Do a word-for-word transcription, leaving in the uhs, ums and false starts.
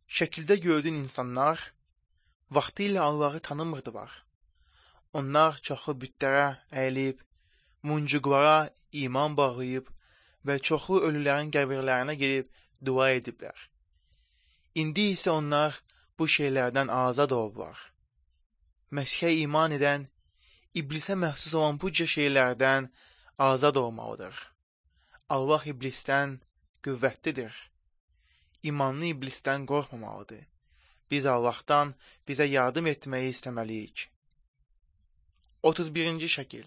Şəkildə gördüyün insanlar vaxtilə Allahı tanımırdılar. Onlar çoxu bütlərə əyilib, muncuqlara iman bağlayıb və çoxu ölülərin qəbirlərinə gedib dua ediblər. İndi isə onlar bu şeylərdən azad olublar. Məsihə iman edən, iblisə məxsus olan bu cür şeylərdən azad olmalıdır. Allah iblisdən qüvvətlidir. İmanlı iblisdən qorxmamalıdır. Biz Allahdan bizə yardım etməyi istəməliyik. otuz birinci şəkil.